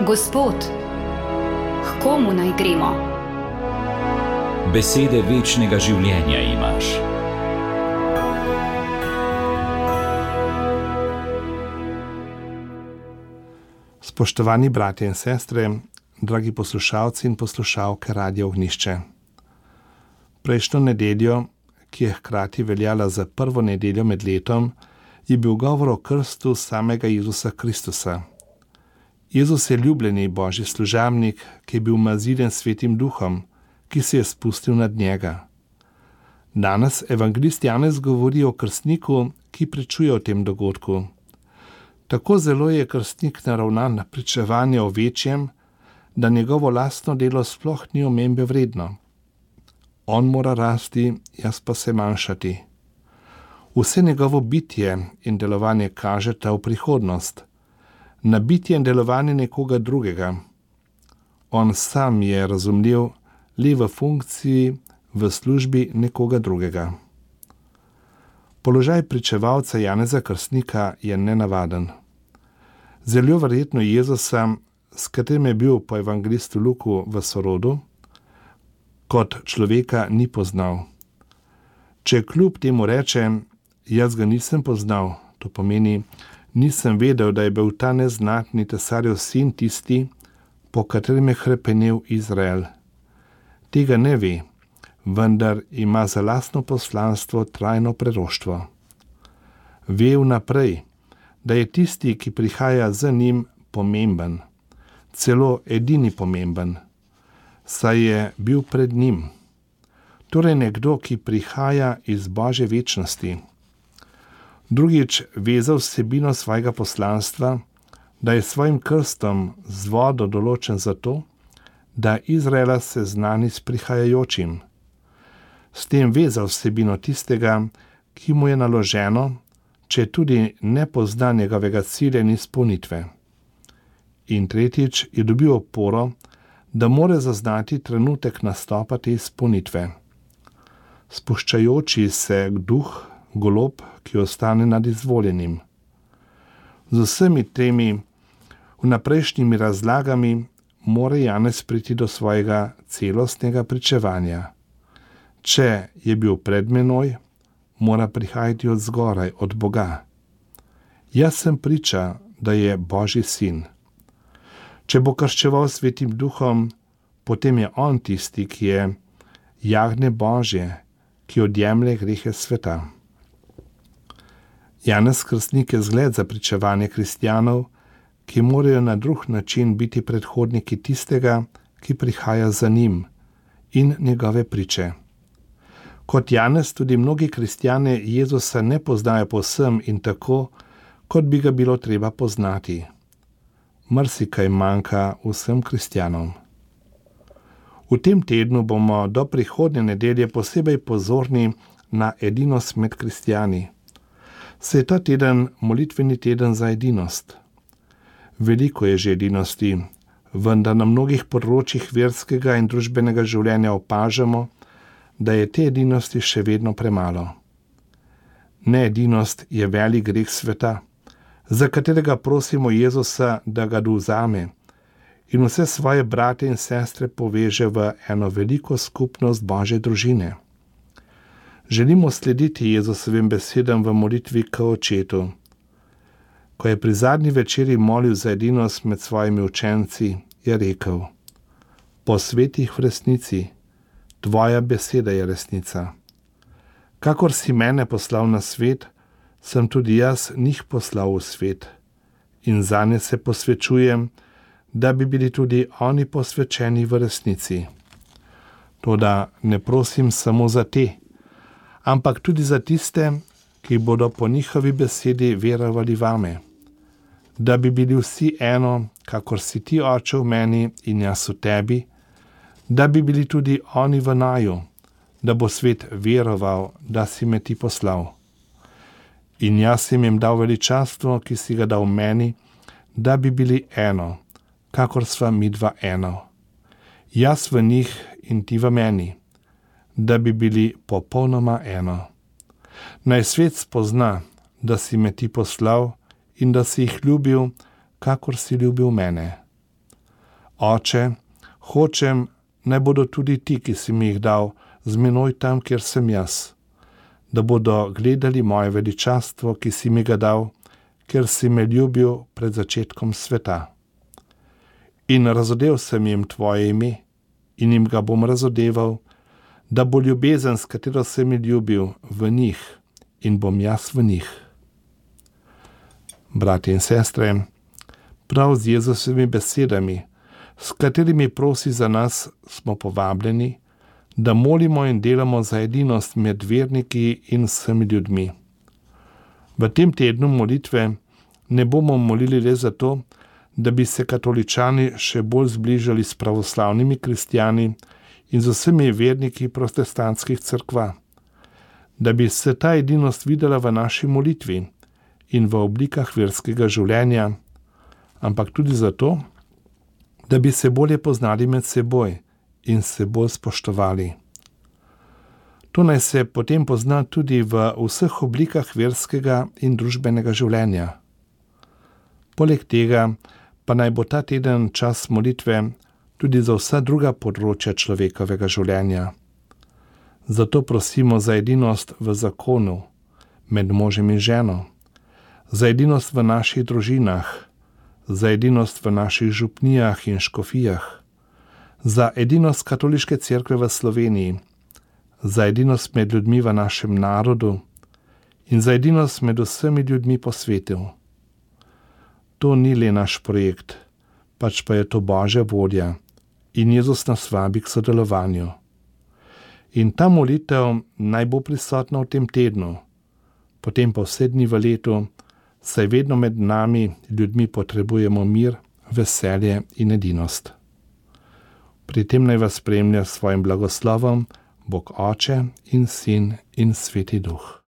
Gospod, k komu naj gremo? Besede večnega življenja imaš. Spoštovani bratje in sestre, dragi poslušalci in poslušalke Radia Ognjišče. Prejšnjo nedeljo, ki je hkrati veljala za prvo nedeljo med letom, je bil govor o krstu samega Jezusa Kristusa. Jezus je ljubljeni Božji služabnik, ki je bil umaziljen s Svetim Duhom, ki se je spustil nad njega. Danes evangelist Janez govori o krstniku, ki pričuje o tem dogodku. Tako zelo je krstnik naravnan na pričevanje o večjem, da njegovo lastno delo sploh ni omembe vredno. On mora rasti, jaz pa se manjšati. Vse njegovo bitje in delovanje kažeta v prihodnost, na bitje in delovanje nekoga drugega. On sam je razumljiv le v funkciji, v službi nekoga drugega. Položaj pričevalca Janeza Krstnika je nenavaden. Zelo verjetno Jezusa, s katerim je bil po evangelistu Luku v sorodu, kot človeka ni poznal. Če kljub temu reče, jaz ga nisem poznal, to pomeni, nisem vedel, da je bil ta neznatni cesarjev sin tisti, po katerem je hrepenel Izrael. Tega ne ve, vendar ima za lastno poslanstvo trajno preroštvo. Ve vnaprej, da je tisti, ki prihaja za njim, pomemben, celo edini pomemben, saj je bil pred njim. Torej nekdo, ki prihaja iz Božje večnosti. Drugič, ve za vsebino svojega poslanstva, da je svojim krstom z vodo določen zato, da Izraela seznani s prihajajočim. S tem ve za vsebino tistega, ki mu je naloženo, če tudi ne pozna njegovega cilja in izpolnitve. In tretjič, je dobil oporo, da more zaznati trenutek nastopa te izpolnitve. Spuščajoči se duh, golob, ki ostane nad izvoljenim. Z vsemi temi vnaprejšnjimi razlagami mora Janez priti do svojega celostnega pričevanja. Če je bil pred menoj, mora prihajati od zgoraj, od Boga. Jaz sem priča, da je Božji sin. Če bo krščeval Svetim Duhom, potem je on tisti, ki je jagnje Božje, ki odjemlje grehe sveta. Janez Krstnik je zgled za pričevanje kristjanov, ki morajo na drug način biti predhodniki tistega, ki prihaja za njim, in njegove priče. Kot Janez tudi mnogi kristjane Jezusa ne poznajo povsem in tako, kot bi ga bilo treba poznati. Marsikaj manjka vsem kristjanom. V tem tednu bomo do prihodnje nedelje posebej pozorni na edinost med kristjani. Se je ta teden molitveni teden za edinost. Veliko je že edinosti, vendar na mnogih področjih verskega in družbenega življenja opažamo, da je te edinosti še vedno premalo. Needinost je velik greh sveta, za katerega prosimo Jezusa, da ga dovzame in vse svoje brate in sestre poveže v eno veliko skupnost Božje družine. Želimo slediti Jezusovim besedam v molitvi k Očetu. Ko je pri zadnji večeri molil za edinost med svojimi učenci, je rekel: posveti jih v resnici, tvoja beseda je resnica. Kakor si mene poslal na svet, sem tudi jaz njih poslal v svet in zanje se posvečujem, da bi bili tudi oni posvečeni v resnici. Toda ne prosim samo za te, ampak tudi za tiste, ki bodo po njihovi besedi verovali vame, da bi bili vsi eno, kakor si ti, Oče, v meni in jaz v tebi, da bi bili tudi oni v naju, da bo svet veroval, da si me ti poslal. In jaz sem jim dal veličastvo, ki si ga dal meni, da bi bili eno, kakor sva midva eno. Jaz v njih in ti v meni, da bi bili popolnoma eno. Naj svet spozna, da si me ti poslal in da si jih ljubil, kakor si ljubil mene. Oče, hočem, naj bodo tudi ti, ki si mi jih dal, z menoj tam, kjer sem jaz, da bodo gledali moje veličastvo, ki si mi ga dal, ker si me ljubil pred začetkom sveta. In razodel sem jim tvoje ime in jim ga bom razodeval, da bo ljubezen, s katero si mi ljubil, v njih in bom jaz v njih. Bratje in sestre, prav z Jezusovimi besedami, s katerimi prosi za nas, smo povabljeni, da molimo in delamo za edinost med verniki in vsemi ljudmi. V tem tednu molitve ne bomo molili le zato, da bi se katoličani še bolj zbližali s pravoslavnimi kristjani in z vsemi verniki protestantskih cerkva, da bi se ta edinost videla v naši molitvi in v oblikah verskega življenja, ampak tudi zato, da bi se bolje poznali med seboj in se bolj spoštovali. To naj se potem pozna tudi v vseh oblikah verskega in družbenega življenja. Poleg tega pa naj bo ta teden čas molitve tudi za vsa druga področja človekovega življenja. Zato prosimo za edinost v zakonu, med možem in ženo, za edinost v naših družinah, za edinost v naših župnijah in škofijah, za edinost katoliške cerkve v Sloveniji, za edinost med ljudmi v našem narodu in za edinost med vsemi ljudmi po svetu. To ni le naš projekt, pač pa je to Božja volja in Jezus nas vabi k sodelovanju. In ta molitev naj bo prisotna v tem tednu, potem pa vse dni v letu, saj vedno med nami ljudmi potrebujemo mir, veselje in edinost. Pri tem naj vas spremlja s svojim blagoslovom Bog Oče in Sin in Sveti Duh.